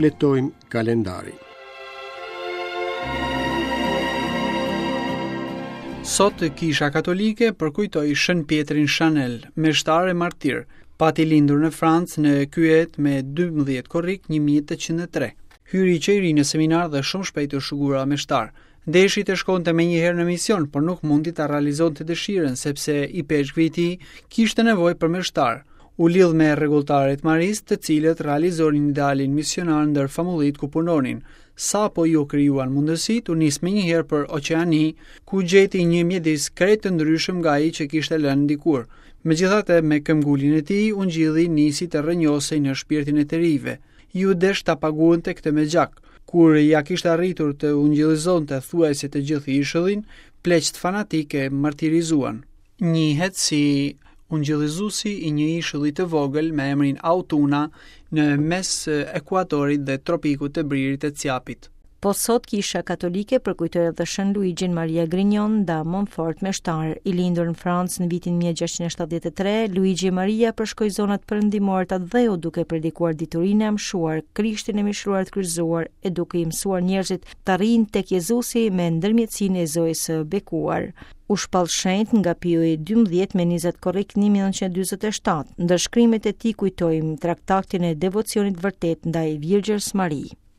Shfletojmë kalendarin. Sot Kisha Katolike përkujtoi Shën Pjetrin Chanel, meshtar e martir. Pati lindur në Francë në Kyet me 12 korrik 1803. Hyri që i ri në seminar dhe shumë shpejt u shugura meshtar. Deshi të shkonte menjëherë në mision, por nuk mundi ta realizonte dëshirën, sepse ipeshkvi i tij kishte nevojë për meshtar. U lidh me rregulltarët maristë, të cilët realizonin idealin misionar ndër famullitë ku punonin. Sapo iu krijuan mundësitë, u nis menjëherë për Oqeani, ku gjeti një mjedis krejt të ndryshëm nga ai që kishte lënë dikur. Megjithatë, me këmbguljen e tij, ungjilli nisi të rrënjosej në shpirtin e të rinjve. Iu desh ta paguante këtë me gjak. Kur ia kishte arritur të ungjillizonte thuajse të gjithë ishullin, pleqtë fanatikë e martirizuan. Njihet si ungjillizuesi i një ishulli të vogël me emrin Autuna në mes ekuatorit dhe tropikut të Bririt të Cjapit. Po sot Kisha Katolike përkujtoi edhe Shën Luigjin Maria Grignion da Montfort meshtar, i lindur në Francë në vitin 1673, Luigi Maria përshkoi zonat perëndimore të atdheut duke predikuar diturinë e amshuar, Krishtin e mishëruar të kryqëzuar e duke i mësuar njerëzit të arrijnë tek Jezusi me ndërmjetësinë e Zojës së Bekuar. U shpall shenjt nga Piu i 12 me 20 korrik 1947. Ndër shkrimet e tij kujtojmë traktatin e devocionit vërtet ndaj Virgjërës Mari.